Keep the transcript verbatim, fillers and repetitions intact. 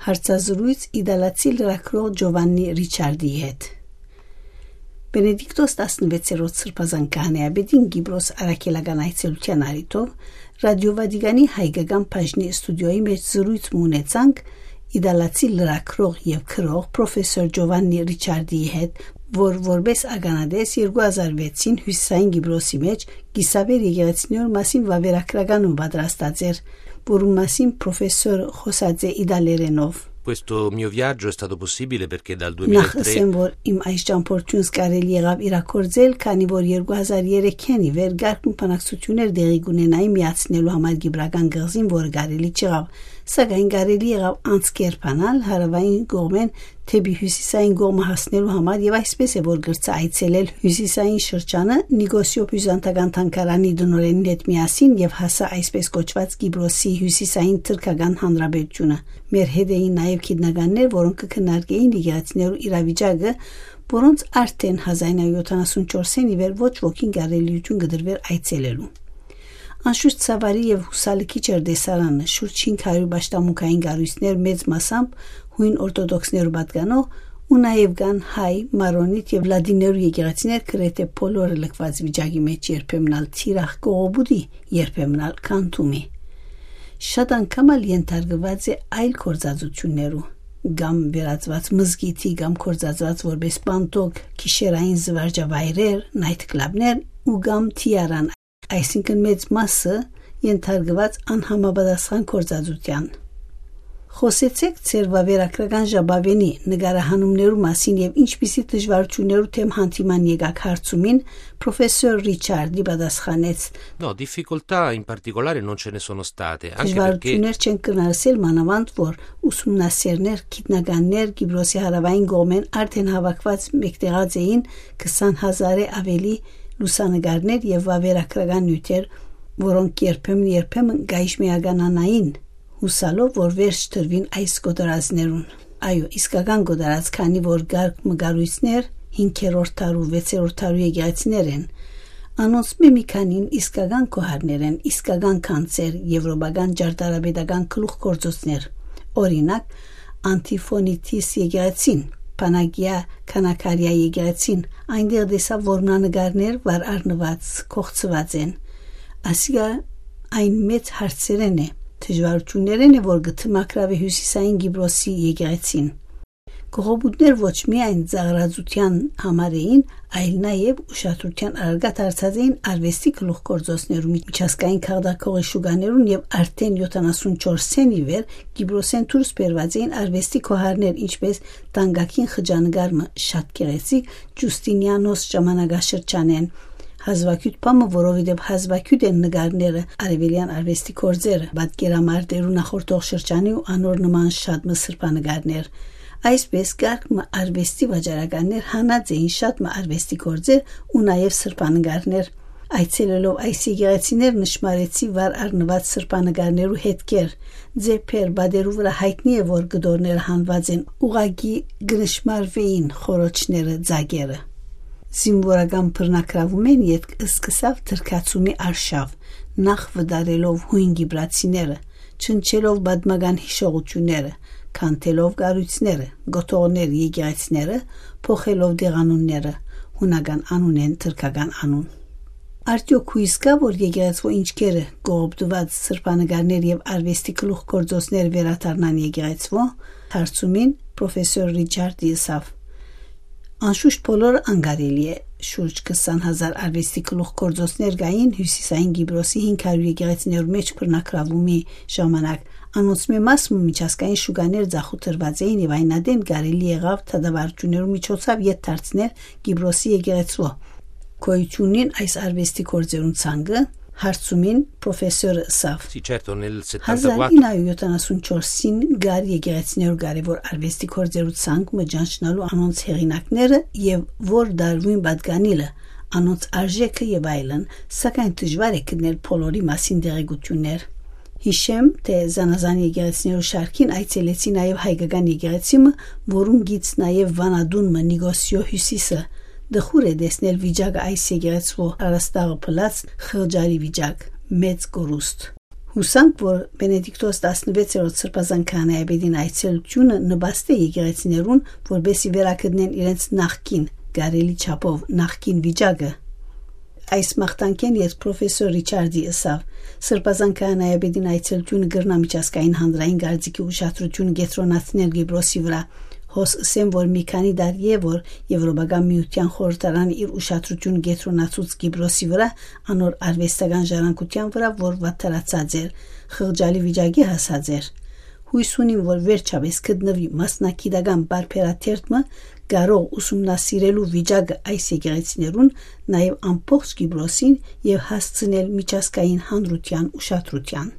Հարցազրոյց իտալացի լրագրող Ջովաննի Ռիչարդի հետ։ Բենեդիկտոս տասնվեցերորդ սրբազան քահանայապետին Կիպրոս առաքելական այցելութեան առիթով Ռադիո Վատիկանի հայկական բաժնի ստուդիոյի մէջ զրոյց մը ունեցանք իտալացի լրագրող եւ գրող պրոֆեսոր Ջովաննի Ռիչարդի հետ, որ որպէս ականատես երկու հազար վեցին Հիւսիսային Կիպրոսի մէջ կիսավեր եկեղեցիներու մասին վաւերագրական մը պատրաստած էր, որուն մասին պրոֆեսոր խօսած է իտալերենով։ Questo mio viaggio è stato possibile perché dal Նախ duemilatré ըսեմ, որ իմ այս ճամփորդությունս կարելի եղաւ իրագործել, քանի որ երկու հազար երեքէն ի վեր կարգ մը բանակցություններ տեղի կունենային միացնելու համար Կիպրական կղզին, որը կարելի չեղաւ, սակայն կարելի եղաւ անցկերպանալ հարաւային կողմէն դէպի հիւսիսային կողմը հասնելու համար, եւ այսպես է, որ կրցայ այցելել հիւսիսային շրջանը Նիկոսիո բիւզանդական թանգարանի տնօրէնին հետ միասին եւ հասայ այսպես կոչուած Կիպրոսի հիւսիսային թրքական հանրապետութիւնը։ Մեր հետ էին նաեւ գիտնականներ, որոնք կը քննարկէին եկեղեցիներու իրավիճակը, որոնց արդէն հազար ինը յոթանասուն չորսէն ի վեր ոչ ոքին կարելիութիւն կը տրուէր այցելելու։ Անշուշտ, ցաւարի եւ յուսալքիչ էր տեսարանը, շուրջ հինգ հարիւր պաշտամունքային կառոյցներ, մեծ մասամբ յոյն օրթոդոքսներու պատկանող, ու նաեւ կան հայ, մարոնիտ եւ լատիներու եկեղեցիներ, գրեթէ բոլորը լքուած վիճակի մէջ, երբեմն ալ թիրախ կողոպուտի, երբեմն ալ քանդումի։ Շատ անգամ ալ ենթարկուած է այլ գործածութիւններու, կամ վերածուած մզկիթի, կամ գործածուած որպէս պանթոկ, գիշերային զուարճավայրեր, նայթ կլաբներ ու կամ թիարան, այսինքն մեծ մասը ենթարկուած անհամապատասխան գործածութեան։ Խօսեցէք ձեր վաւերագրական ժապաւէնի, նկարահանումներու մասին եւ ինչպիսի դժուարութիւններու դէմ հանդիման եկաք հարցումին, պրոֆեսոր Ռիչարդի պատասխանեց. No, difficoltà in particolare non ce ne sono state, anche perché Դժվարութիւններ չեն կրնար ասել, մանաւանդ որ ուսումնասիրներ, գիտնականներ Կիպրոսի հարաւային կողմէն արդէն հաւաքուած մեկտեղած էին քսան հազարէ աւելի լուսանկարներ եւ վաւերագրական նիւթեր, որոնք երբեմն-երբեմն կայժմեականանային, յուսալով որ վերջ տրուին այս կոտորածներուն։ Այո, իսկական կոտորած, քանի որ կարգ մը կառոյցներ հինգերորդ դարու, վեցերորդ դարու եկեղեցիներ են։ Անոնցմէ մի քանին իսկական քահանայապետներ են, իսկական գանձեր, եւրոպական ճարտարապետական գլուխգործոցներ։ Օրինակ, Անտիֆոնիտիս եկեղեցին, Փանագիա Քանաքարիա եկեղեցին, այնտեղ տեսայ որմնանկարներ վար առնուած, կոխցուած են։ Ասիկա այն մեծ հարցերէն է, դժուարութիւններէն է, որ կը դիմագրաւէ հիւսիսային Կիպրոսի եկեղեցին։ Կողոպուտներ ոչ միայն ծաղրածութեան համար էին, այլ նաեւ ուշադրութեան առարկայ դարձած էին արուեստի գլուխգործոցներու, միջազգային քաղաքագլխի շուկաներուն եւ արդէն յոթանասուն չորսէն ի վեր Կիպրոսէն դուրս բերուած էին արուեստի քահանայապետներ, ինչպէս Տանկագին խճանկար մը, շատ գեղեցիկ, Ջուստինիանոս ժամանակաշրջանէն։ Հազուագիւտ բան մը, որովհետեւ հազուագիւտ են նկարները, արեւելեան արուեստի գործերը, պատկերամարտերու նախորդող շրջանի ու անոր նման շատ մը սրբանկարներ։ Այսպէս, կարգ մը արուեստի վաճառականներ հանած էին շատ մը արուեստի գործեր ու նաեւ սրբանկարներ։ Այցելելով այս եկեղեցիներ, նշմարեցի վար առնուած սրբանկարներու հետքեր, ձեբեր, պատերու վրայ յայտնի է, որ կտորները հանուած են, ուղղակի կը նշմարուէին խոռոչները, ձագերը։ Զինուորական բռնագրաւումէն ետք սկսաւ թրքացումի արշաւ, նախ վտարելով յոյն կիպրացիները, չնչելով պատմական յիշողութիւնները, քանդելով կառոյցները, կոթողները, եկեղեցիները, փոխելով տեղանունները, հունական անունէն թրքական անուն։ Արդեօք յոյս կա՞, որ եկեղեցւոյ ինչքերը կողոպտուած սրբանկարներ եւ արուեստի գլուխգործոցներ վերադառնան եկեղեցւոյ, հարցումին պրոֆեսոր Ռիչարդի ըսաւ. Անշուշտ, բոլորը անկարելի է։ Շուրջ քսան հազար արուեստի գլուխգործոցներ կային Հիւսիսային Կիպրոսի հինգ հարիւր եկեղեցիներու մէջ բռնագրաւումի ժամանակ։ Անոնցմէ մաս մը միջազգային շուկաներ ձախուտրուած էին եւ այն ատեն կարելի եղաւ դատավարութիւններու միջոցով ետ դարձնել Կիպրոսի եկեղեցւոյ։ Գոյութիւնին այս արուեստի գործերուն ցանկը, հարցումին պրոֆեսորը ըսաւ. Sì, certo, nel settantaquattro հազար ինը հարիւր յոթանասուն չորսին կար եկեղեցիներու կարեւոր արուեստի գործերու ցանկ մը ճանչնալու անոնց հեղինակները եւ որ դարուին պատկանիլը, անոնց արժէքը եւ այլն, սակայն դժուար է գտնել բոլորի մասին տեղեկութիւններ։ Յիշեմ, թէ զանազան եկեղեցիներու շարքին այցելեցի նաեւ հայկական եկեղեցի մը, որուն գիծ նաեւ վանատուն մը Նիկոսիո հիւսիսը, դխուր է տեսնել վիճակը այս եկեղեցւոյ, առաստաղը փլած, խղճարի վիճակ, մեծ կորուստ։ Ուսանք, որ Բենեդիկտոս տասնվեցերորդ Սրբազան քահանայապետին այցելութիւնը նպաստէ եկեղեցիներուն, որպեսզի վերագտնեն իրենց նախկին, կարելի չափով նախկին վիճակը։ Այս մաղթանքէն ետք պրոֆեսոր Ռիչարդի ըսաւ. «Սրբազան քահանայապետին այցելութիւնը կրնայ միջազգային հանրային կարծիքի ուշադրութիւնը կեդրոնացնել Կիպրոսի վրայ։ Հոս ըսեմ, որ մի քանի տարի է, որ Եվրոպական Միութեան խորհրդարանը իր ուշադրութիւնը կեդրոնացուց Կիպրոսի վրայ, անոր արուեստական ժառանգութեան վրայ, որ վատթարացած էր, խղճալի վիճակի հասած էր։ Յոյս ունիմ, որ վերջապէս գտնուի մասնագիտական պարբերաթերթ մը, կարող ուսումնասիրելու վիճակը այս եկեղեցիներուն, նաեւ ամբողջ Կիպրոսին, եւ հասցնել միջազգային հանրութեան ուշադրութեան»։